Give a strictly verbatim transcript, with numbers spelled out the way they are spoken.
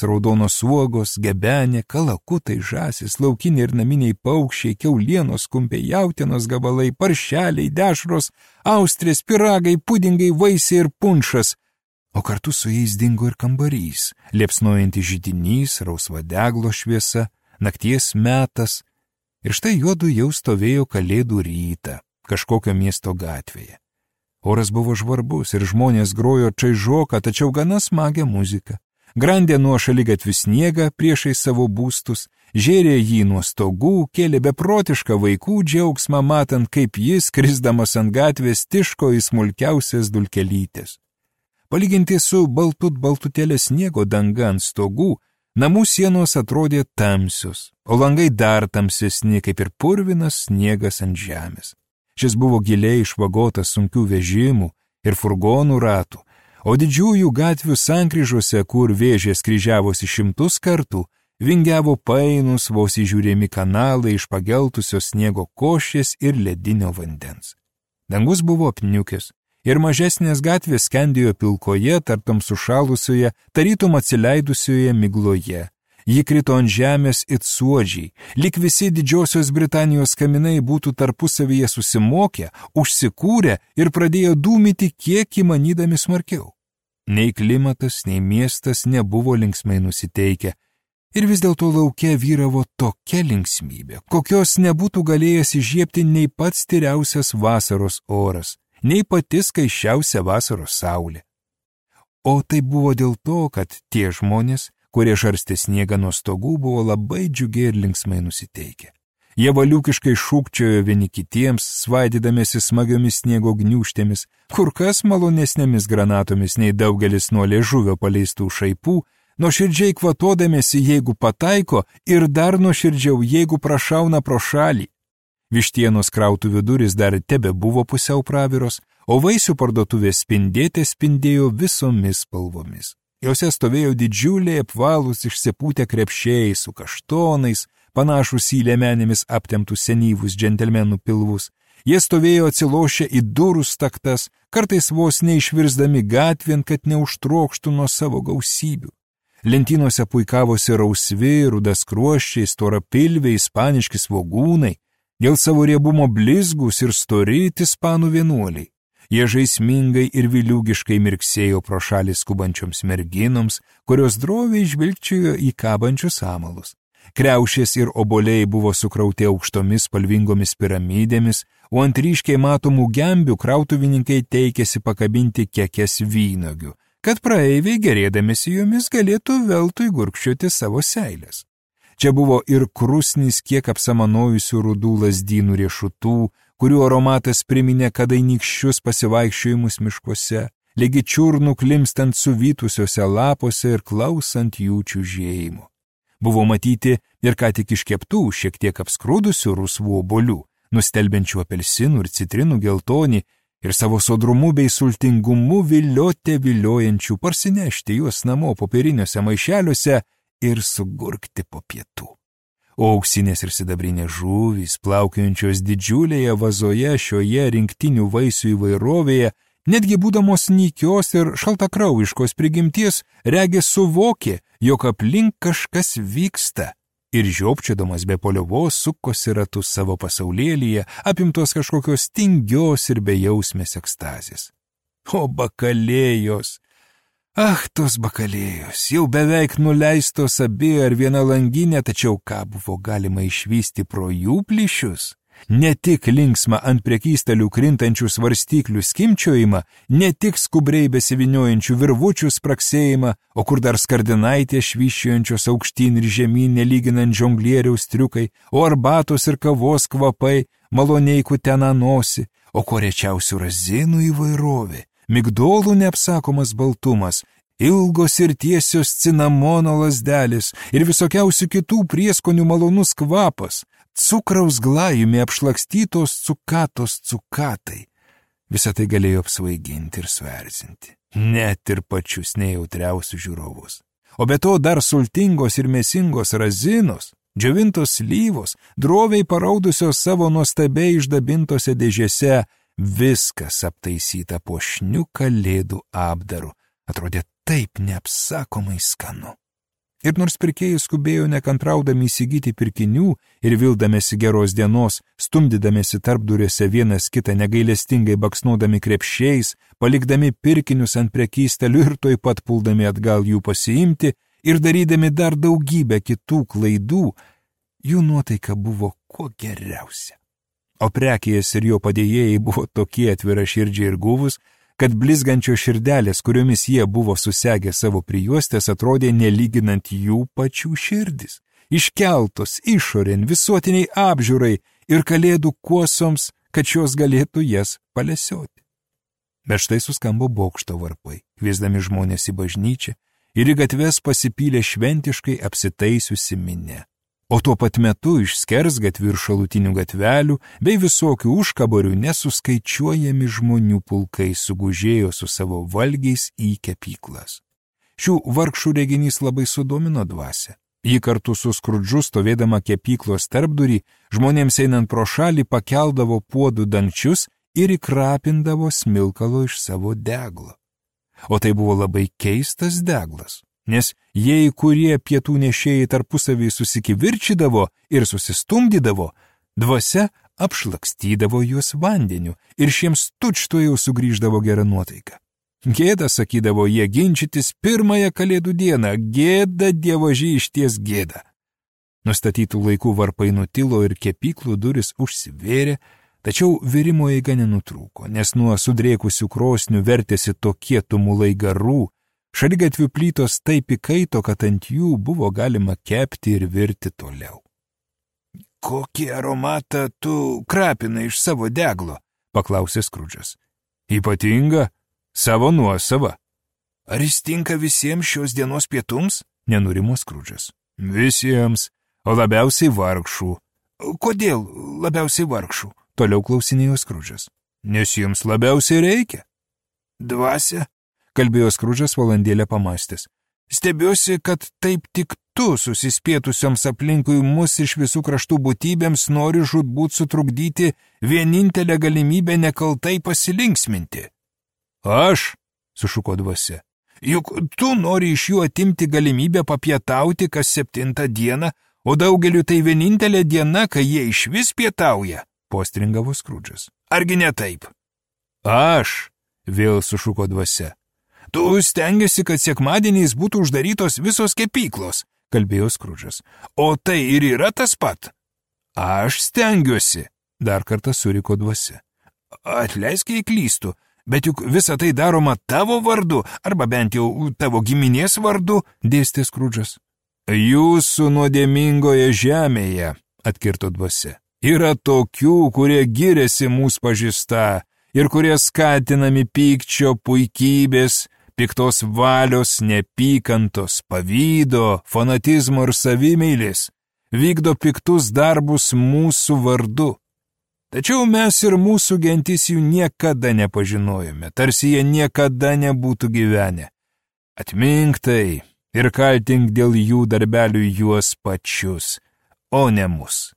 raudonos uogos, gebenė, kalakutai, žąsis, laukiniai ir naminiai paukščiai, kiaulienos, kumpiai, jautienos gabalai, paršeliai, dešros, austrės, piragai, pudingai, vaisiai ir punšas. O kartu su jais dingo ir kambarys, liepsnojantis židinys, rausva deglo šviesa, nakties metas. Ir štai juodu jau stovėjo kalėdų rytą kažkokio miesto gatvėje. Oras buvo žvarbus ir žmonės grojo čaižoką, tačiau gana smagią muziką. Grandė nuo šaligatvių sniegą priešai savo būstus, žėrė jį nuo stogų, kėlė beprotišką vaikų džiaugsmą, matant, kaip jis, krisdamas ant gatvės, tiško į smulkiausias dulkelytės. Palyginti su baltut baltutėlė sniego danga ant stogų, namų sienos atrodė tamsios, o langai dar tamsesni, kaip ir purvinas sniegas ant žemės. Šis buvo giliai išvagotas sunkių vežimų ir furgonų ratų, o didžiųjų gatvių sankryžose, kur vėžės kryžiavosi šimtus kartų, vingiavo painus vos įžiūrėmi kanalai iš pageltusios sniego košės ir ledinio vandens. Dangus buvo apniukęs ir mažesnės gatvės skendėjo pilkoje, tartum sušalusioje, tarytum atsileidusioje migloje. Ji krito ant žemės it suodžiai, lyg visi Didžiosios Britanijos kaminai būtų tarpusavyje susimokę, užsikūrę ir pradėjo dūmyti kiek įmanydami smarkiau. Nei klimatas, nei miestas nebuvo linksmai nusiteikę, ir vis dėlto lauke vyravo tokia linksmybė, kokios nebūtų galėjęs įžiebti nei pats tyriausias vasaros oras, nei pati skaisčiausia vasaros saulė. O tai buvo dėl to, kad tie žmonės, kurie žarstė sniegą nuo stogų, buvo labai džiugiai ir linksmai nusiteikę. Jie valiukiškai šūkčiojo vieni kitiems, svaidydamėsi smagiomis sniego gniūžtėmis, kur kas malonesnėmis granatomis nei daugelis nuo liežuvio paleistų šaipų, nuoširdžiai kvatodamėsi, jeigu pataiko, ir dar nuoširdžiau, jeigu prašauna pro šalį. Vištienos krautuvių durys dar tebe buvo pusiau praviros, o vaisių parduotuvės spindėtė spindėjo visomis spalvomis. Jose stovėjo didžiuliai apvalūs išsipūtę krepšiai su kaštonais, panašus į liemenėmis aptemptus senyvus džentelmenų pilvus. Jie stovėjo atsilošę į durų staktas, kartais vos neišvirsdami gatvėn, kad neužtrokštų nuo savo gausybių. Lentynose puikavosi rausvi, rudaskruoščiai, storapilviai, ispaniški svogūnai, dėl savo riebumo blizgus ir stori ispanų vienuoliai. Jie žaismingai ir viliūgiškai mirksėjo pro šalį skubančioms merginoms, kurios droviai žvilgčiojo į kabančius amalus. Kriaušės ir oboliai buvo sukrauti aukštomis spalvingomis piramidėmis, o ant ryškiai matomų gembių krautuvininkai teikėsi pakabinti kekes vynogių, kad praeiviai gerėdamėsi jomis galėtų veltui gurkščioti savo seilės. Čia buvo ir krusnis kiek apsamanojusių rudų lazdynų riešutų, kurių aromatas priminė kadainykščius pasivaikščiojimus miškuose, lygi čiurnų klimstant suvytusiuose lapuose ir klausant jų čiužėjimų. Buvo matyti ir ką tik iškeptų, šiek tiek apskrudusių rusvų obuolių, nustelbiančių apelsinų ir citrinų geltonį, ir savo sodrumu bei sultingumu viliotė viliojančių parsinešti juos namo popieriniuose maišeliuose ir sugurkti po pietų. O auksinės ir sidabrinės žuvys, plaukiojančios didžiulėje vazoje šioje rinktinių vaisių įvairovėje, netgi būdamos nykios ir šaltakraujiškos prigimties, regis suvokė, jog aplink kažkas vyksta, ir žiopčiodamas be paliovos sukosi ratus savo pasaulėlyje, apimtos kažkokios tingios ir bejausmės ekstazės. O bakalėjos! Ach, tos bakalėjos, jau beveik nuleistos abi ar viena langinė, tačiau ką buvo galima išvysti pro jų plyšius? Ne tik linksmą ant prekystalių krintančių svarstyklių skimčiojimą, ne tik skubriai besiviniojančių virvučių spraksėjimą, o kur dar skardinaitės švyščiojančios aukštyn ir žemyn nelyginant žonglieriaus triukai, o arbatos ir kavos kvapai, maloniai kutena nosį, o ko rečiausių razinų įvairovė, migdolų neapsakomas baltumas, ilgos ir tiesios cinamono lazdelis ir visokiausių kitų prieskonių malonus kvapas, cukraus glajumi apšlakstytos cukatos cukatai. Visą tai galėjo apsvaiginti ir suerzinti, net ir pačius nejautriausius žiūrovus. O be to dar sultingos ir mėsingos razinos, džiovintos slyvos, droviai paraudusios savo nuostabiai išdabintose dėžėse, viskas aptaisyta puošniu kalėdų apdaru, atrodė taip neapsakomai skanu. Ir nors pirkėjai skubėjo nekantraudami įsigyti pirkinių ir vildamėsi geros dienos, stumdydamėsi tarpduriuose vienas kitą negailestingai baksnodami krepšiais, palikdami pirkinius ant prekystelių ir toj pat puldami atgal jų pasiimti ir darydami dar daugybę kitų klaidų, jų nuotaika buvo kuo geriausia. O prekėjas ir jo padėjėjai buvo tokie atviraširdžiai ir guvus, kad blizgančios širdelės, kuriomis jie buvo susegę savo prijuostės, atrodė nelyginant jų pačių širdis, iškeltos išorėn visuotiniai apžiūrai ir kalėdų kuosoms, kad šios galėtų jas palesioti. Bet štai suskambo bokšto varpai, kviesdami žmonės į bažnyčią, ir į gatves pasipylė šventiškai apsitaisiusi minia. O tuo pat metu iš skersgatvių ir šalutinių gatvelių bei visokių užkaborių nesuskaičiuojami žmonių pulkai sugužėjo su savo valgiais į kepyklas. Šių vargšų reginys labai sudomino dvasią. Ji kartu su Skrudžu stovėdama kepyklos tarpdurį, žmonėms einant pro šalį pakeldavo puodų dangčius ir įkrapindavo smilkalo iš savo deglo. O tai buvo labai keistas deglas. Nes jei kurie pietų nešėjai tarpusavį susikivirčydavo ir susistumdydavo, dvasia apšlakstydavo juos vandeniu ir šiems tučtuojau sugrįždavo gera nuotaika. Gėda, sakydavo jie, ginčytis pirmąją kalėdų dieną, gėda dievoži išties gėda. Nustatytų laikų varpai nutilo ir kepyklų duris užsivėrė, tačiau virimo eiga nenutrūko, nes nuo sudrėkusių krosnių vertėsi tokie tumulai garų, šaligatvių plytos taip įkaito, kad ant jų buvo galima kepti ir virti toliau. Kokį aromatą tu krapinai iš savo deglo? Paklausė Skrudžas. Ypatinga, savo nuosava. Ar jis tinka visiems šios dienos pietums? Nenurimo Skrudžas. Visiems, o labiausiai vargšų. Kodėl labiausiai vargšų? Toliau klausinėjo Skrudžas. Nes jiems labiausiai reikia. Dvasia? Kalbėjo Skrudžas valandėlę pamastęs. Stebiuosi, kad taip tik tu susispėtusioms aplinkui mus iš visų kraštų būtybėms nori žūtbūt sutrukdyti vienintelę galimybę nekaltai pasilinksminti. Aš, sušuko dvasia, juk tu nori iš jų atimti galimybę papietauti kas septintą dieną, o daugeliu tai vienintelė diena, kai jie išvis pietauja, postringavo Skrudžas. Argi ne taip? Aš, vėl sušuko dvasia. Tu stengiasi, kad sekmadieniais būtų uždarytos visos kepyklos, kalbėjo Skrudžas. O tai ir yra tas pat. Aš stengiuosi, dar kartą suriko dvasia. Atleisk, jei klystu, bet juk visa tai daroma tavo vardu, arba bent jau tavo giminės vardu, dėstė Skrudžas. Jūsų nuodėmingoje žemėje, atkirto dvasia, yra tokių, kurie giriasi mūsų pažįsta ir kurie skatinami pykčio, puikybės, piktos valios, nepykantos, pavydo, fanatizmo ir savimeilės, vykdo piktus darbus mūsų vardu. Tačiau mes ir mūsų gentis jų niekada nepažinojome, tarsi jie niekada nebūtų gyvenę. Atmink tai ir kaltink dėl jų darbelių juos pačius, o ne mus.